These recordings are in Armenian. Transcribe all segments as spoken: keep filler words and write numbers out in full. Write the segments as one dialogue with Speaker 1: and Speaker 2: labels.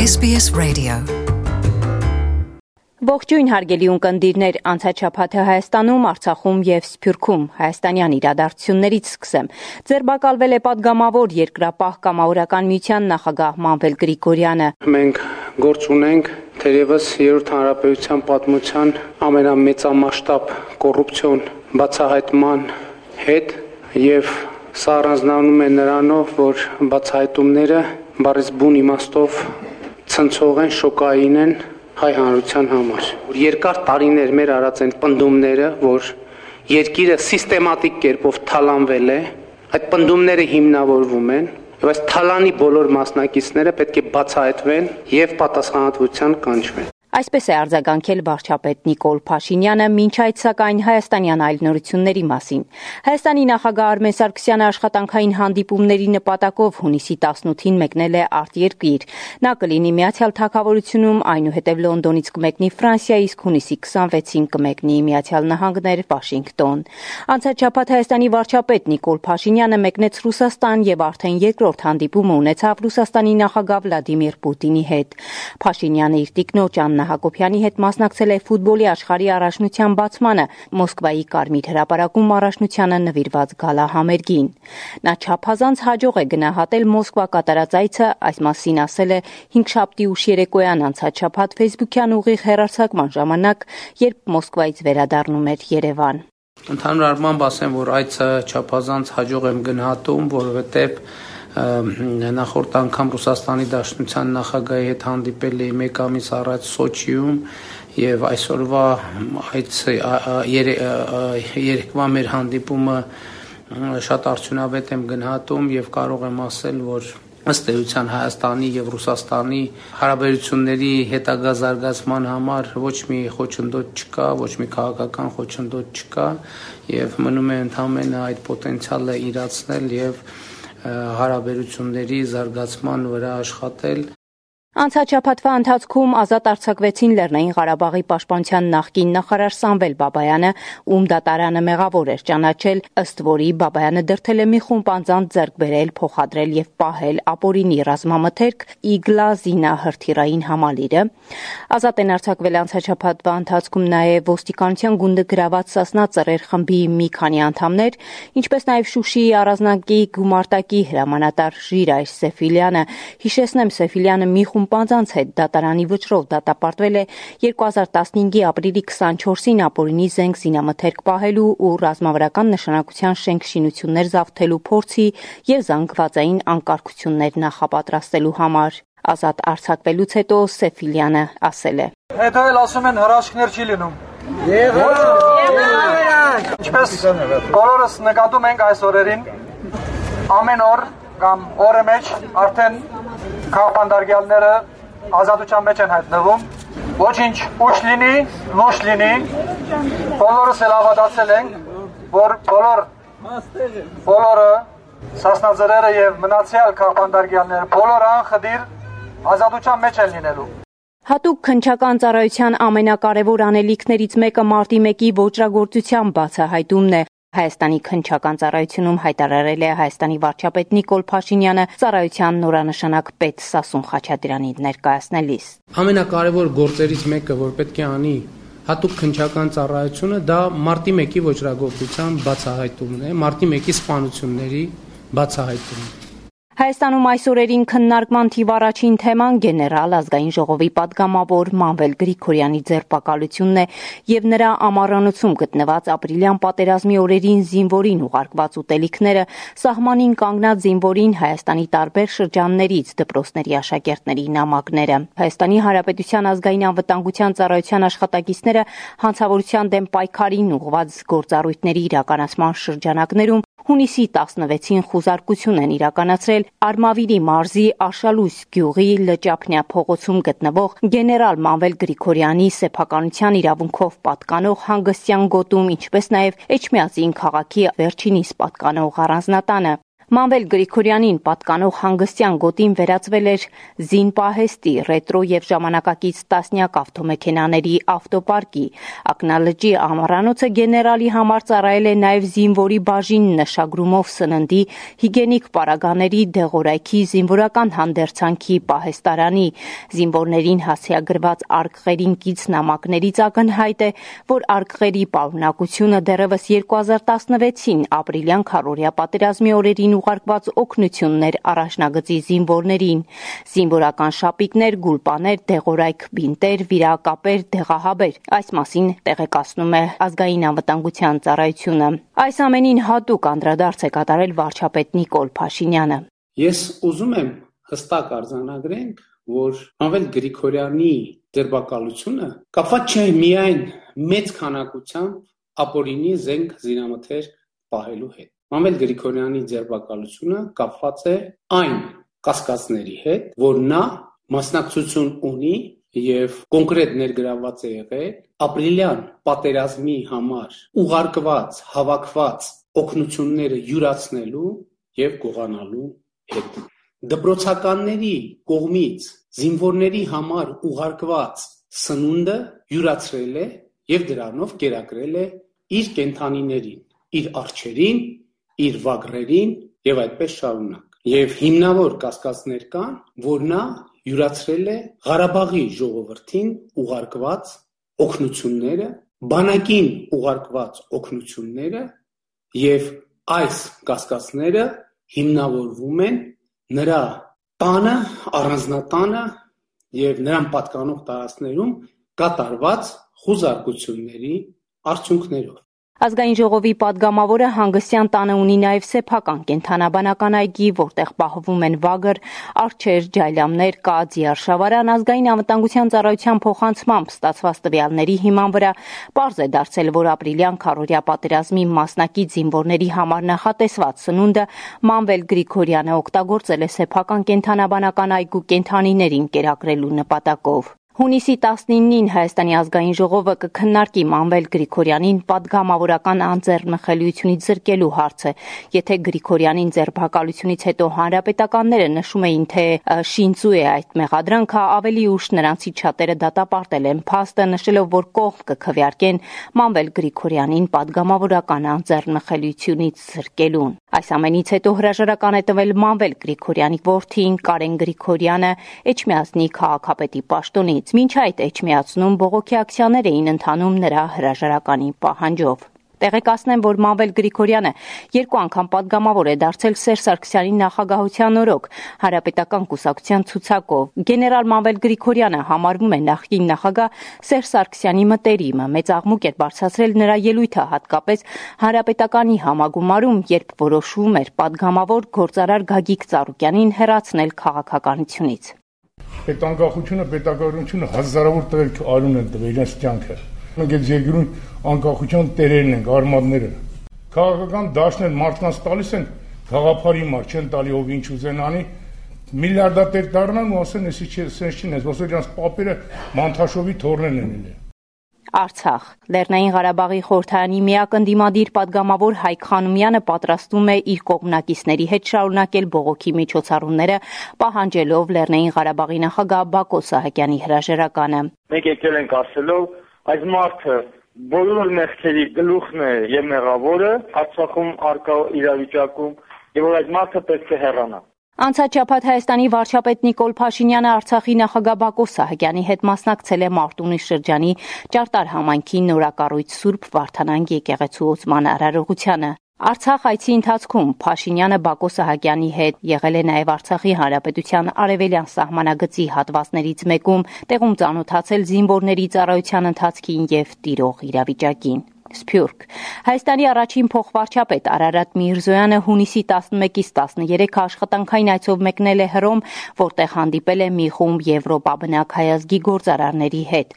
Speaker 1: S B S Radio.
Speaker 2: Ողջույն հարգելի ունկնդիրներ, անցաչափաթը Հայաստանում, Արցախում եւ Սփյուռքում հայաստանյան իրադարձություններից սկսեմ։ Ձերբակալվել է падգամավոր երկրապահ կամավորական միության նախագահ Մանվել Գրիգորյանը։
Speaker 3: Մենք գործ ունենք թերևս երրորդ հանրապետության պատմության ամենամեծամասշտաբ կոռուպցիոն բացահայտման հետ եւ սա առանձնանում է նրանով, որ բացահայտումները բառից բուն իմաստով ցնցող են, շոկային են հայ հանրության համար։ Երկար տարիներ մեր արած են պնդումները, որ երկիրը սիստեմատիկ կերպով թալանվել է, այդ պնդումները հիմնավորվում են, եւ այս թալանի բոլոր մասնակիցները պետք է բացահայտվեն եւ պատասխանատվության կանչվեն։
Speaker 2: Այսպես է արձագանքել վարչապետ Նիկոլ Փաշինյանը, մինչ այդ սակայն հայաստանյան այլ նորությունների մասին։ Հայաստանի նախագահ Արմեն Սարգսյանը աշխատանքային հանդիպումների նպատակով հունիսի տասնութին մեկնել է արտերկիր։ Նա կլինի Միացյալ Թագավորությունում, այնուհետև Լոնդոնից կմեկնի Ֆրանսիա, իսկ հունիսի քսանվեցին կմեկնի Միացյալ Նահանգներ, Վաշինգտոն։ Անցած շաբաթ Հայաստանի վարչապետ Նիկոլ Փաշինյանը մեկնեց Ռուսաստան եւ արդեն երկրորդ հանդիպումը ունեցավ Ռուսաստանի նախագահ Վլադիմիր Պուտինի հետ։ Փաշինյանը իր տիկնոջ Աննա Հակոբյանի հետ մասնակցել է ֆուտբոլի աշխարհի առաջնության բացմանը Մոսկվայի Կարմիր հրապարակում առաջնությանը նվիրված գալահամերգին։ Նա չափազանց հաջող է գնահատել Մոսկվա կատարած այցը, այս մասին ասել է հինգշաբթի ուշ երեկոյան անցած շաբաթ Facebook-յան ուղիղ հեռարձակման ժամանակ, երբ Մոսկվայից վերադառնում էր Երևան։
Speaker 3: Ընդհանուր առմամբ ասեմ, որ այցը չափազանց հաջող եմ գնահատում, որովհետև նախորդ անգամ Ռուսաստանի Դաշնության նախագահի հետ հանդիպել էի մեկ ամիս առաջ Սոչիում եւ այսօրվա այդ երեկվա մեր հանդիպումը շատ արդյունավետ եմ գնահատում եւ կարող եմ ասել, որ ըստ էության Հայաստանի եւ Ռուսաստանի հարաբերությունների հետագա զարգացման համար ոչ մի խոչընդոտ չկա, ոչ մի քաղաքական խոչընդոտ չկա եւ մնում է ընդհանրապես այդ պոտենցիալը իրացնել եւ հարաբերությունների զարգացման վրա աշխատել։
Speaker 2: Անցած շաբաթվա ընթացքում ազատ արձակվեցին Լեռնային Ղարաբաղի պաշտպանության նախկին նախարար Սամվել Բաբայանը, ում դատարանը մեղավոր էր ճանաչել, ըստ որի Բաբայանը դրդել է մի խումբ անձանց ձեռք բերել, փոխադրել եւ պահել ապօրինի ռազմամթերք Իգլա զինահրթիռային համալիրը։ Ազատ են արձակվել անցած շաբաթվա ընթացքում նաեւ ոստիկանության գունդը գրաված Սասնա ծռեր խմբի մի քանի անդամներ, ինչպես նաեւ Շուշիի առանձնակի գումարտակի հրամանատար Ժիրայր Սեֆիլյանը։ Հիշեցնեմ, Սեֆիլյանը մի խումբ անձանց հետ դատարանի վճռով դատապարտվել է երկու հազար տասնհինգի ապրիլի քսանչորսին ապօրինի զենք զինամթերք պահելու ու ռազմավարական նշանակության շենք-շինություններ զավթելու փորձի եւ զանգվածային անկարգություններ նախապատրաստելու համար։ Ազատ արձակվելուց հետո Սեֆիլյանը ասել է.
Speaker 4: Հետո էլ ասում են հրաշքներ չի լինում։ Ինչպես բոլորս նկատում ենք այս օրերին, ամեն օր կամ օրը մեջ արդեն քաղաքապետարները ազատության մեջ են հայտնվում, ոչինչ ուշ լինի, նոշ լինի, բոլորս էլ հավատացել ենք, որ բոլոր բոլորը Սասնաձրերը եւ մնացյալ քաղաքապետարները բոլորը անխդիր ազատության մեջ են լինելու։
Speaker 2: Հատուկ քննչական ծառայության ամենակարևոր անելիքներից մեկը մարտի մեկի ոճրագործության բացահայտումն է։ Հայաստանի քննչական ծառայությունում հայտարարել է Հայաստանի վարչապետ Նիկոլ Փաշինյանը ծառայության նորանշանակ պետ Սասուն Խաչատրյանին ներկայացնելիս։
Speaker 3: Ամենակարևոր գործերից մեկը, որ պետք է անի հատուկ քննչական ծառայությունը, դա մարտի մեկի ոճրագործության բացահայտումն է, մարտի մեկի սպանությունների բացահայտումն է։
Speaker 2: Հայաստանում այս օրերին քննարկման թիվ առաջին թեման գեներալ ազգային ժողովի падգամավոր Մանվել Գրիգորյանի ձերբակալությունն է եւ նրա ամառանոցում գտնված ապրիլյան պատերազմի օրերին զինվորին ուղարկված ուտելիքները, սահմանին կանգնած զինվորին Հայաստանի տարբեր շրջաններից դպրոցների աշակերտների նամակները։ Հայաստանի Հանրապետության ազգային անվտանգության ծառայության աշխատակիցները հանցավորության դեմ պայքարին ուղղված գործառույթների իրականացման շրջանակներում հունիսի տասնվեցին խուզարկություն են իրականացրել Արմավիրի մարզի Աշալույս գյուղի Լճափնյա փողոցում գտնվող գեներալ Մանվել Գրիգորյանի սեփականության իրավունքով պատկանող հանգստյան գոտում, ինչպես նաև Էջմիածին քաղաքի վերջինիս պատկանող առանձնատանը։ Մանվել Գրիգորյանին պատկանող հանգստյան գոտին վերածվել էր զինպահեստի, ռետրո եւ ժամանակակից տասնյակ ավտոմեքենաների ավտոպարկի։ Ակնալճի ամառանոցը գեներալի համար ծառայել է նաեւ զինվորի բաժին նշագրումով սննդի, հիգենիկ պարագաների, դեղորայքի, զինվորական հանդերձանքի պահեստարանի։ Զինվորներին հասցեագրված արկղերին կից նամակներից ակնհայտ է, որ արկղերի պարունակությունը դեռևս երկու հազար տասնվեցին ապրիլյան քառօրյա պատերազմի օրերին ուղարկված օգնություններ առաջնագծի զինվորներին, զինվորական շապիկներ, գուլպաներ, դեղորայք, բինտեր, վիրակապեր, դեղահաբեր։ Այս մասին տեղեկացնում է Ազգային անվտանգության ծառայությունը։ Այս ամենին հատուկ անդրադարձ է կատարել վարչապետ Նիկոլ Փաշինյանը։
Speaker 3: Ես ուզում եմ հստակ արձանագրենք, որ Մանվել Գրիգորյանի ձերբակալությունը կապված չէ միայն մեծ քանակությամբ ապօրինի զենք զինամթերք պահելու հետ։ Մանվել Գրիգորյանի ձերբակալությունը կապված է այն կասկածների հետ, որ նա մասնակցություն ունի եւ կոնկրետ ներգրավված է եղել ապրիլյան պատերազմի համար ուղարկված, հավաքված օգնությունները յուրացնելու եւ գողանալու հետ։ Դպրոցականների կողմից զինվորների համար ուղարկված սնունդը յուրացրել է եւ դրանով կերակրել է իր կենթանիներին, իր արջերին, իր վագրերին եւ այդպես շարունակ։ Եվ հիմնավոր կասկածներ կան, որ նա յուրացրել է Ղարաբաղի ժողովրդին ուղարկված օգնությունները, բանակին ուղարկված օգնությունները եւ այս կասկածները հիմնավորվում են նրա տանը, առանձնատանը եւ նրան պատկանող տարածքներում կատարված խուզարկությունների արդյունքներով։
Speaker 2: Ազգային ժողովի պատգամավորը հանգստյան տանը ունի նաև սեփական կենդանաբանական այգի, որտեղ պահվում են վագր, արջեր, ջայլամներ, կա ձիարշավարան։ Ազգային անվտանգության ծառայության փոխանցմամբ ստացված տվյալների հիման վրա պարզ է դարձել, որ ապրիլյան քառօրյա պատերազմի մասնակից զինվորների համար նախատեսված սնունդը Մանվել Գրիգորյանը օգտագործել է սեփական կենդանաբանական այգու կենդանիներին կերակրելու նպատակով։ Հունիսի տասնինին Հայաստանի ազգային ժողովը կքննարկի Մանվել Գրիգորյանին պատգամավորական անձեռնխելիությունից զրկելու հարցը։ Եթե Գրիգորյանին ձերբակալությունից հետո հանրապետականները նշում էին, թե շինծու է այդ մեղադրանքը, ավելի ուշ նրանցից շատերը դատապարտել են փաստը, նշելով, որ կողմ կքվեարկեն Մանվել Գրիգորյանին պատգամավորական անձեռնխելիությունից զրկելուն։ Այս ամենից հետո հրաժարական է տվել Մանվել Գրիգորյանի որդին Կարեն Գրիգորյանը Էջմիածնի քաղաքապետի պաշտոնից։ Մինչ այդ Էջմիածնում բողոքի ակցիաներ էին ընթանում նրա հրաժարականի պահանջով։ Տեղեկացնեմ, որ Մանվել Գրիգորյանը երկու անգամ պատգամավոր է դարձել Սերժ Սարգսյանի նախագահության օրոք հանրապետական կուսակցության ցուցակով։ Գեներալ Մանվել Գրիգորյանը համարվում է նախկին նախագահ Սերժ Սարգսյանի մտերիմը։ Մեծ աղմուկ էր բարձրացրել նրա ելույթը, հատկապես հանրապետականի համագումարում, երբ որոշվում էր պատգամավոր գործարար Գագիկ Ծառուկյանին հեռացնել քաղաքականությունից։
Speaker 1: Պետանկախությունը, պետականությունը հազարավոր տղերք արուն են տվել իրենց կյանքը։ Մենք այդ երկրում անկախության տերերն ենք, արմատները։ Քաղաքական դաշտներ մարդկանց տալիս են գաղափարի մար, չեն տալի ով ինչ ուզեն անի, միլիարդատեր դառնան ու ասեն, էսի չի, սենց չի, ոսո իրանց պապերը Մանթաշովի թորներն են ելել։
Speaker 2: Արցախ Լեռնային Ղարաբաղի խորհրդարանի միակ ընդդիմադիր պատգամավոր Հայկ Խանոմյանը պատրաստվում է իր կողմնակիցների հետ շարունակել բողոքի միջոցառումները, պահանջելով Լեռնային Ղարաբաղի նախագահ Բակո Սահակյանի հրաժարականը։
Speaker 5: Մենք եկել ենք ասելով, այս մարդը բոլոր մեղքերի գլուխն է եւ մեղավորը Արցախում արկա իրավիճակում, եւ որ այս մարդը պետք է հեռանա։
Speaker 2: Անցած շաբաթ Հայաստանի վարչապետ Նիկոլ Փաշինյանը Արցախի նախագահ Բակո Սահակյանի հետ մասնակցել է Մարտունի շրջանի Ճարտար համայնքի նորակառույց Սուրբ Վարդանանք եկեղեցու ոցման արարողությանը։ Արցախ այցի ընթացքում Փաշինյանը Բակո Սահակյանի հետ եղել է նաև Արցախի Հանրապետության արևելյան սահմանագծի հատվածներից մեկում, տեղում ծանոթացել զինվորների ծառայության ընթացքին եւ տիրող իրավիճակին։ Սփյուռք Հայաստանի առաջին փոխվարչապետ Արարատ Միրզոյանը հունիսի տասնմեկից տասներեքը աշխատանքային այցով մեկնել է Հռոմ, որտեղ հանդիպել է մի խումբ եվրոպաբնակ հայազգի գործարարների հետ։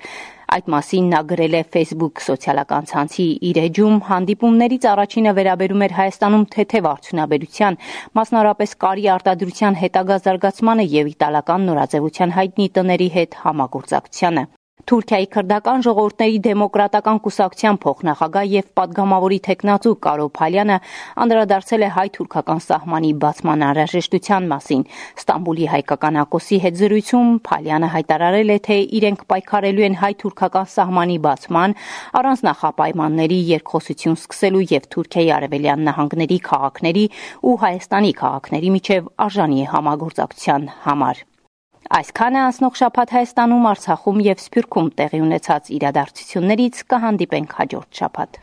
Speaker 2: Այդ մասին նա գրել է Facebook սոցիալական ցանցի իր էջում։ Հանդիպումներից առաջինը վերաբերում էր Հայաստանում թեթև արդյունաբերության, մասնավորապես կարի արտադրության հետագա զարգացմանը եւ իտալական նորաձևության հայտնի տների հետ համագործակցությանը։ Թուրքիայի քրդական ժողովուրդների դեմոկրատական կուսակցության փոխնախագահ եւ падգամավորի տեխնացու Կարո Փալյանը անդրադարձել է հայ-թուրքական սահմանի բացման անհրաժեշտության մասին։ Ստամբուլի հայկական ակոսի հետ զրույցում Փալյանը հայտարարել է, թե իրենք պայքարելու են հայ-թուրքական սահմանի բացման, առանց նախապայմանների երկխոսություն սկսելու եւ Թուրքիայի արևելյան նահանգների քաղաքների ու Հայաստանի քաղաքների միջև արժանի համագործակցության համար։ Այսքանը անցնող շաբաթ Հայաստանում, Արցախում եւ Սփյուռքում տեղի ունեցած իրադարձություններից կհանդիպենք հաջորդ շաբաթ։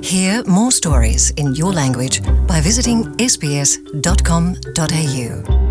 Speaker 6: Hear more stories in your language by visiting s b s dot com dot a u.